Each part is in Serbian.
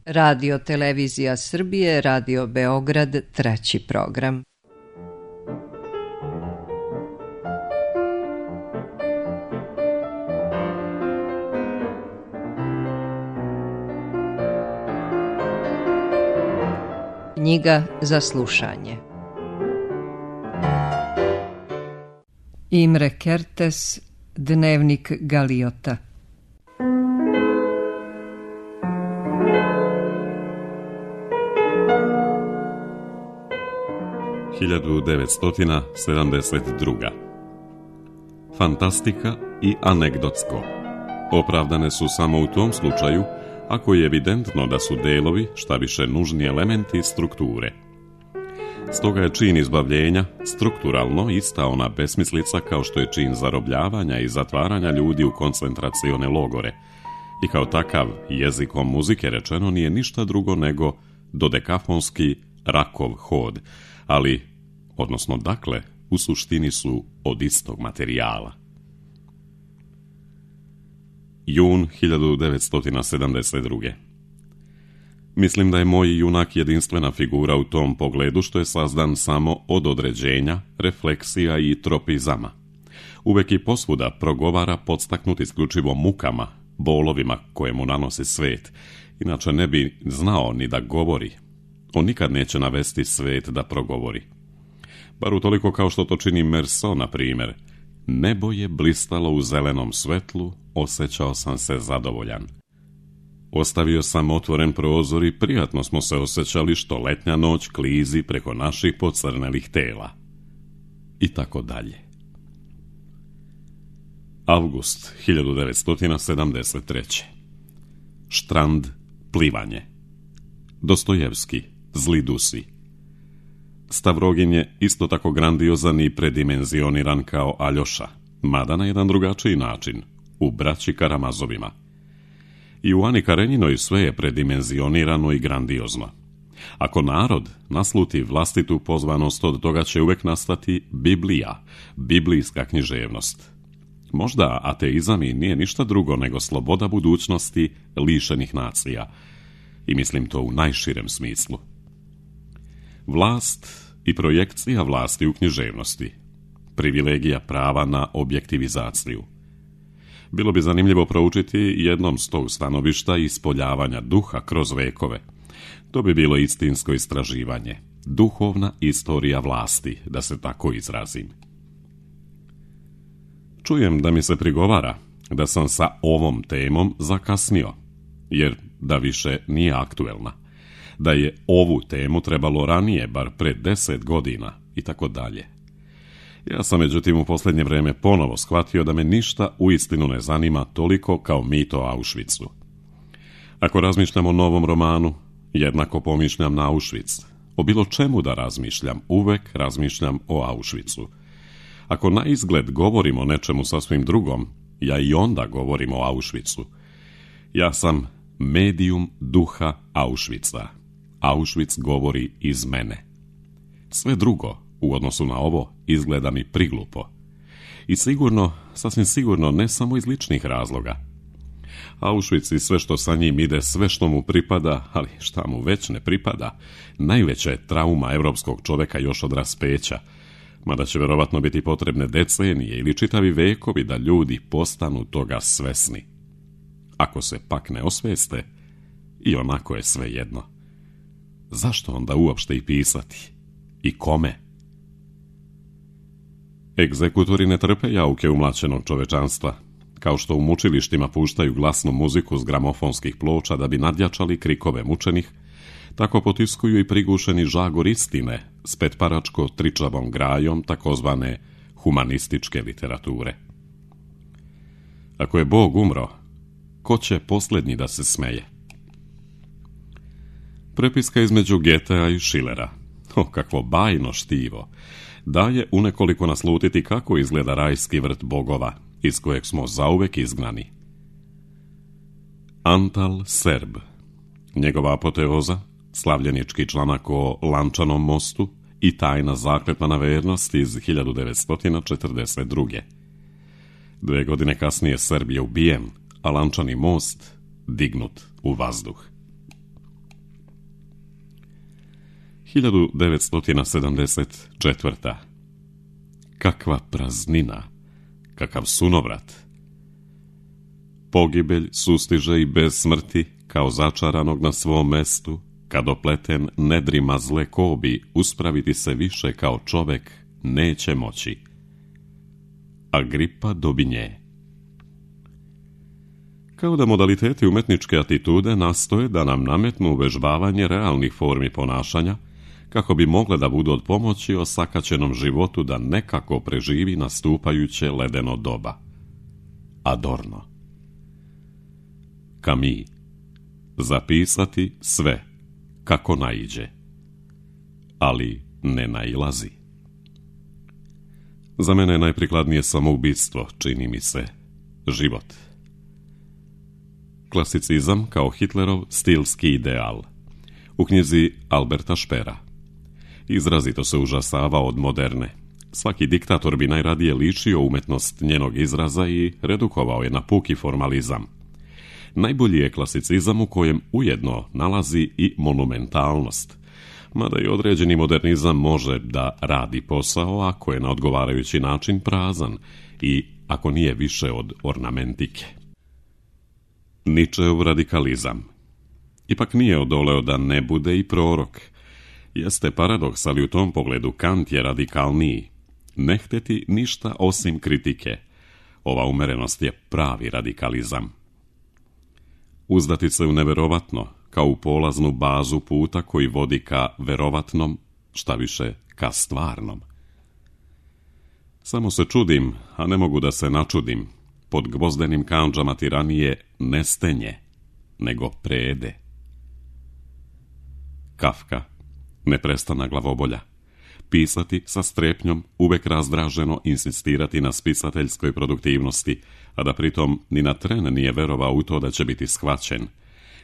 Radio Televizija Srbije, Radio Beograd, 3. program. Knjiga za slušanje. Imre Kertész, Dnevnik Galiota. (1972) Fantastika i anegdotsko opravdane su samo u tom slučaju ako je evidentno da su delovi šta više nužni elementi strukture. Stoga je čin izbavljenja strukturalno ista ona besmislica kao što je čin zarobljavanja i zatvaranja ljudi u koncentracione logore i kao takav jezikom muzike rečeno nije ništa drugo nego dodekafonski rakov hod, ali, odnosno dakle, u suštini su od istog materijala. Jun 1972. Mislim da je moj junak jedinstvena figura u tom pogledu što je sazdan samo od određenja, refleksija i tropizama. Uvek i posvuda progovara podstaknut isključivo mukama, bolovima koje mu nanosi svet, inače ne bi znao ni da govori. On nikad neće navesti svet da progovori. Bar utoliko kao što to čini Merso, na primjer. Nebo je blistalo u zelenom svetlu, osjećao sam se zadovoljan. Ostavio sam otvoren prozor i prijatno smo se osjećali što letnja noć klizi preko naših pocrnelih tela. I tako dalje. Avgust 1973. Štrand, plivanje. Dostojevski, Zli dusi. Stavrogin je isto tako grandiozan i predimenzioniran kao Aljoša, mada na jedan drugačiji način, u Braći Karamazovima. I u Ani Karenjinoj sve je predimenzionirano i grandiozno. Ako narod nasluti vlastitu pozvanost, od toga će uvek nastati Biblija, biblijska književnost. Možda ateizam i nije ništa drugo nego sloboda budućnosti lišenih nacija. I mislim to u najširem smislu. Vlast i projekcija vlasti u književnosti. Privilegija prava na objektivizaciju. Bilo bi zanimljivo proučiti jednom s tog stanovišta ispoljavanja duha kroz vekove. To bi bilo istinsko istraživanje. Duhovna istorija vlasti, da se tako izrazim. Čujem da mi se prigovara da sam sa ovom temom zakasnio, jer da više nije aktuelna. Da je ovu temu trebalo ranije, bar pre 10 godina i tako dalje. Ja sam međutim u posljednje vrijeme ponovo shvatio da me ništa uistinu ne zanima toliko kao mit o Auschwitzu. Ako razmišljam o novom romanu, jednako pomišljam na Auschwitz. O bilo čemu da razmišljam, uvek razmišljam o Auschwitzu. Ako na izgled govorim o nečemu sasvim drugom, ja i onda govorim o Auschwitzu. Ja sam medijum duha Auschwitza. Auschwitz govori iz mene. Sve drugo, u odnosu na ovo, izgleda mi priglupo. I sigurno, sasvim sigurno, ne samo iz ličnih razloga. Auschwitz i sve što sa njim ide, sve što mu pripada, ali šta mu već ne pripada, najveća je trauma evropskog čoveka još od raspeća, mada će verovatno biti potrebne decenije ili čitavi vekovi da ljudi postanu toga svesni. Ako se pak ne osveste, i onako je sve jedno. Zašto onda uopšte i pisati? I kome? Egzekutori ne trpe jauke umlaćenog čovečanstva, kao što u mučilištima puštaju glasnu muziku s gramofonskih ploča da bi nadjačali krikove mučenih, tako potiskuju i prigušeni žagor istine s petparačko tričavom grajom takozvane humanističke literature. Ako je Bog umro, ko će posljednji da se smeje? Prepiska između Goethea i Schillera. Kakvo bajno štivo! Daje unekoliko naslutiti kako izgleda rajski vrt bogova, iz kojeg smo zauvek izgnani. Antal Serb. Njegova apoteoza, slavljenički članak o Lančanom mostu i tajna zakletna vernost iz 1942. 2 godine kasnije Srb je ubijen, a Lančani most dignut u vazduh. 1974. Kakva praznina, kakav sunovrat. Pogibelj sustiže i bez smrti, kao začaranog na svom mestu, kad opleten nedrima zle kobi, uspraviti se više kao čovek neće moći. Agripa Dobinje. Kao da modaliteti umetničke atitude nastoje da nam nametnu uvežbavanje realnih formi ponašanja, kako bi mogle da budu od pomoći osakaćenom životu da nekako preživi nastupajuće ledeno doba. Adorno. Camus. Zapisati sve, kako naiđe. Ali ne nailazi. Za mene je najprikladnije samoubistvo, čini mi se, život. Klasicizam kao Hitlerov stilski ideal. U knjizi Alberta Špera. Izrazito se užasavao od moderne. Svaki diktator bi najradije lišio umetnost njenog izraza i redukovao je na puki formalizam. Najbolji je klasicizam u kojem ujedno nalazi i monumentalnost, mada i određeni modernizam može da radi posao ako je na odgovarajući način prazan i ako nije više od ornamentike. Ničeov radikalizam. Ipak nije odoleo da ne bude i prorok. Jeste paradoks, ali u tom pogledu Kant je radikalniji. Ne hteti ništa osim kritike. Ova umerenost je pravi radikalizam. Uzdati se u neverovatno, kao u polaznu bazu puta koji vodi ka verovatnom, šta više ka stvarnom. Samo se čudim, a ne mogu da se načudim. Pod gvozdenim kandžama tiranije ne stenje, nego prede. Kafka. Neprestana glavobolja. Pisati sa strepnjom, uvek razdraženo insistirati na spisateljskoj produktivnosti, a da pritom ni na tren nije verovao u to da će biti shvaćen.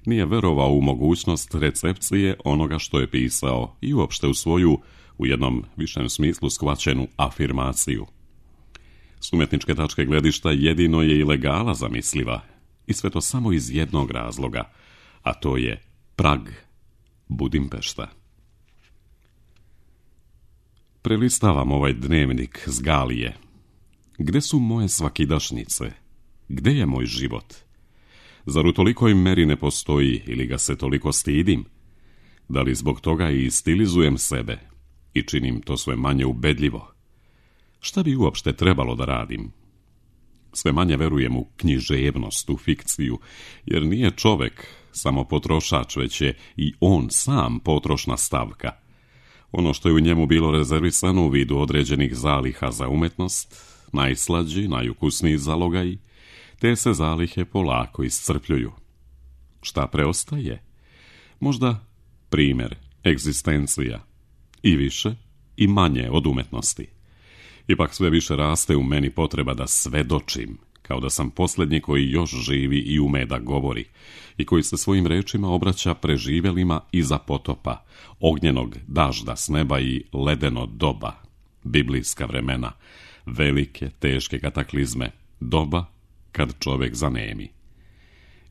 Nije verovao u mogućnost recepcije onoga što je pisao i uopšte u svoju, u jednom višem smislu, shvaćenu afirmaciju. S umjetničke tačke gledišta jedino je ilegala zamisliva, i sve to samo iz jednog razloga, a to je Prag, Budimpešta. Prelistavam ovaj dnevnik s Galije. Gde su moje svakidašnjice? Gde je moj život? Zar u tolikoj meri ne postoji ili ga se toliko stidim? Da li zbog toga i stilizujem sebe i činim to sve manje ubedljivo? Šta bi uopšte trebalo da radim? Sve manje verujem u književnost, u fikciju, jer nije čovek samo potrošač, već je i on sam potrošna stavka. Ono što je u njemu bilo rezervisano u vidu određenih zaliha za umetnost, najslađi, najukusniji zalogaj, te se zalihe polako iscrpljuju. Šta preostaje? Možda primer, egzistencija, i više i manje od umetnosti. Ipak sve više raste u meni potreba da svedočim, kao da sam posljednji koji još živi i ume da govori, i koji se svojim rečima obraća preživjelima iza potopa, ognjenog dažda s neba i ledeno doba, biblijska vremena, velike, teške kataklizme, doba kad čovek zanemi.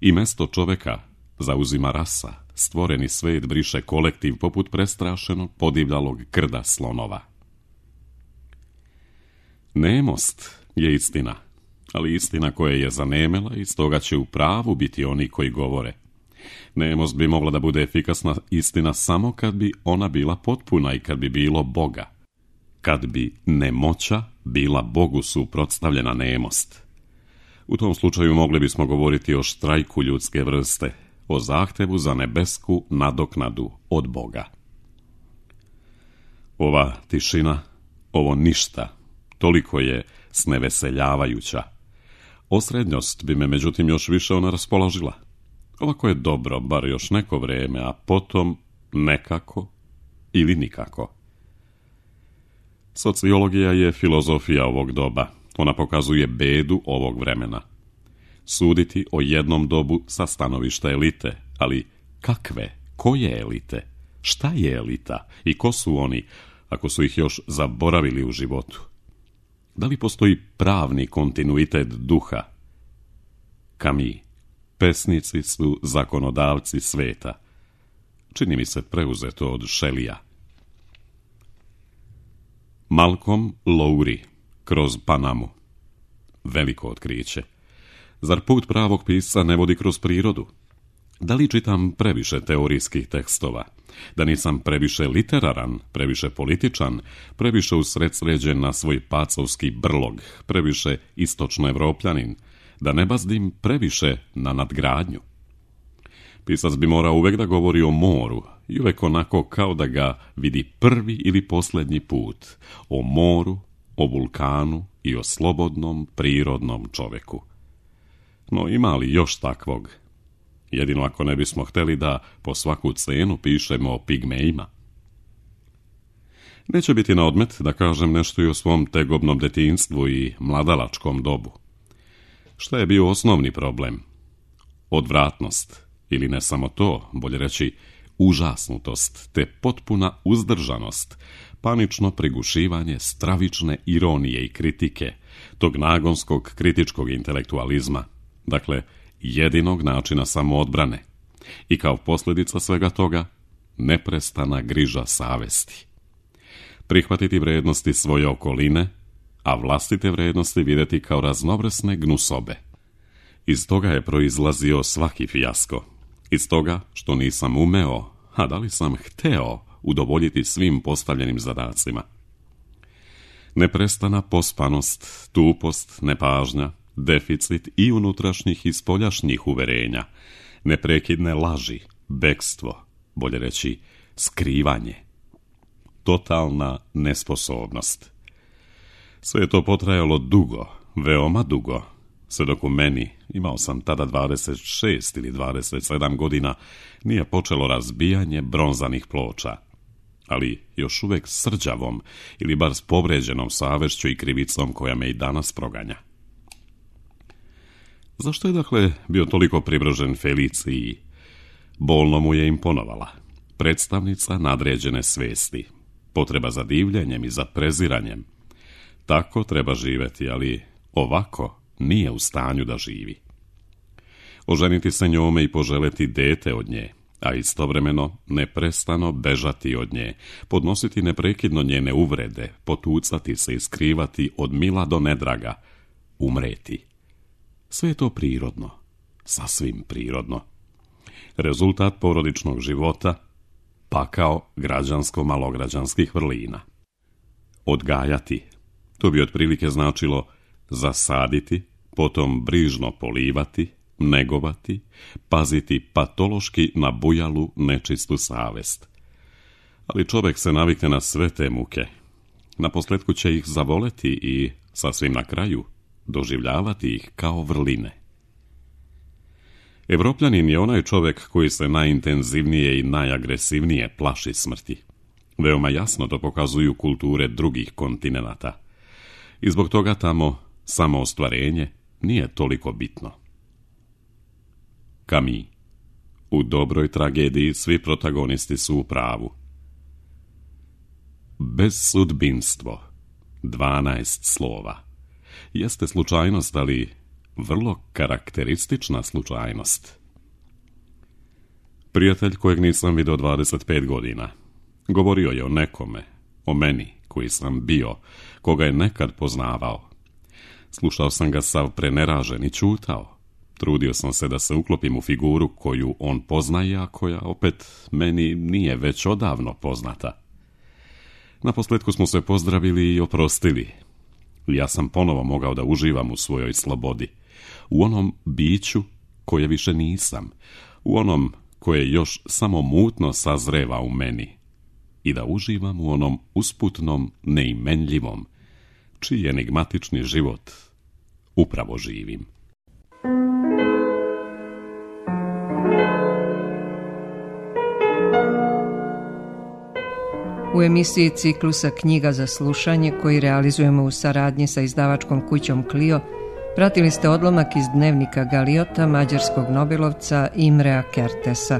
I mesto čoveka zauzima rasa, stvoreni svet briše kolektiv poput prestrašenog podivljalog krda slonova. Nemost je istina, ali istina koja je zanemela i stoga će u pravu biti oni koji govore. Nemost bi mogla da bude efikasna istina samo kad bi ona bila potpuna i kad bi bilo Boga. Kad bi nemoća bila Bogu suprotstavljena nemost. U tom slučaju mogli bismo govoriti o štrajku ljudske vrste, o zahtevu za nebesku nadoknadu od Boga. Ova tišina, ovo ništa, toliko je sneveseljavajuća. Osrednjost bi me međutim još više ona raspoložila. Ovako je dobro, bar još neko vreme, a potom nekako ili nikako. Sociologija je filozofija ovog doba. Ona pokazuje bedu ovog vremena. Suditi o jednom dobu sa stanovišta elite, ali kakve, koje elite? Šta je elita i ko su oni, ako su ih još zaboravili u životu? Da li postoji pravni kontinuitet duha? Camus. Pesnici su zakonodavci sveta. Čini mi se preuzeto od Shelleyja. Malcolm Lowry, kroz Panamu. Veliko otkriće. Zar put pravog pisca ne vodi kroz prirodu? Da li čitam previše teorijskih tekstova? Da nisam previše literaran, previše političan, previše usredsređen na svoj pacovski brlog, previše istočnoevropljanin? Da ne bazdim previše na nadgradnju? Pisac bi morao uvek da govori o moru i uvek onako kao da ga vidi prvi ili posljednji put. O moru, o vulkanu i o slobodnom, prirodnom čoveku. No ima li još takvog? Jedino ako ne bismo hteli da po svaku cenu pišemo o pigmejima. Neće biti na odmet da kažem nešto i o svom tegobnom detinjstvu i mladalačkom dobu. Šta je bio osnovni problem? Odvratnost, ili ne samo to, bolje reći užasnutost, te potpuna uzdržanost, panično prigušivanje stravične ironije i kritike, tog nagonskog kritičkog intelektualizma, dakle, jedinog načina samoodbrane, i kao posljedica svega toga, neprestana griža savesti. Prihvatiti vrednosti svoje okoline, a vlastite vrednosti vidjeti kao raznovrsne gnusobe. Iz toga je proizlazio svaki fijasko. Iz toga što nisam umeo, a da li sam hteo udovoljiti svim postavljenim zadacima. Neprestana pospanost, tupost, nepažnja, deficit i unutrašnjih i spoljašnjih uverenja, neprekidne laži, bekstvo, bolje reći skrivanje, totalna nesposobnost. Sve je to potrajalo dugo, veoma dugo, sve dok u meni, imao sam tada 26 ili 27 godina, nije počelo razbijanje bronzanih ploča, ali još uvek srđavom ili bar s povređenom savešću i krivicom koja me i danas proganja. Zašto je dakle bio toliko privržen Feliciji? Bolno mu je imponovala. Predstavnica nadređene svesti. Potreba za divljenjem i za preziranjem. Tako treba živjeti, ali ovako nije u stanju da živi. Oženiti se njome i poželeti dete od nje, a istovremeno neprestano bežati od nje, podnositi neprekidno njene uvrede, potucati se i skrivati od mila do nedraga, umreti. Sve je to prirodno, sasvim prirodno. Rezultat porodičnog života, pakao građansko-malograđanskih vrlina. Odgajati, to bi otprilike značilo zasaditi, potom brižno polivati, negovati, paziti patološki na bujalu nečistu savest. Ali čovjek se navikne na sve te muke. Naposljetku će ih zavoleti i, sasvim na kraju, doživljavati ih kao vrline. Evropljanin je onaj čovjek koji se najintenzivnije i najagresivnije plaši smrti. Veoma jasno to pokazuju kulture drugih kontinenata. I zbog toga tamo samo ostvarenje nije toliko bitno. Camus. U dobroj tragediji svi protagonisti su u pravu. Bezsudbinstvo. 12 slova. Jeste slučajnost, ali vrlo karakteristična slučajnost. Prijatelj kojeg nisam vidio 25 godina. Govorio je o nekome, o meni koji sam bio, koga je nekad poznavao. Slušao sam ga sav preneražen i ćutao. Trudio sam se da se uklopim u figuru koju on poznaje, a koja opet meni nije već odavno poznata. Naposljetku smo se pozdravili i oprostili. Ja sam ponovo mogao da uživam u svojoj slobodi. U onom biću koje više nisam. U onom koje još samo mutno sazreva u meni. I da uživam u onom usputnom, neimenljivom, čiji enigmatični život upravo živim. U emisiji ciklusa Knjiga za slušanje, koji realizujemo u saradnji sa izdavačkom kućom Clio, pratili ste odlomak iz dnevnika Galiota mađarskog nobelovca Imrea Kertesa.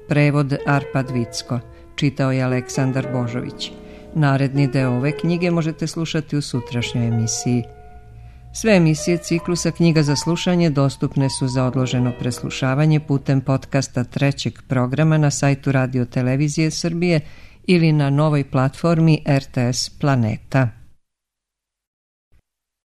Prevod Arpad Vicko. Čitao je Aleksandar Božović. Naredni deo ove knjige možete slušati u sutrašnjoj emisiji. Sve emisije ciklusa Knjiga za slušanje dostupne su za odloženo preslušavanje putem podcasta trećeg programa na sajtu Radio Televizije Srbije ili na novoj platformi RTS Planeta.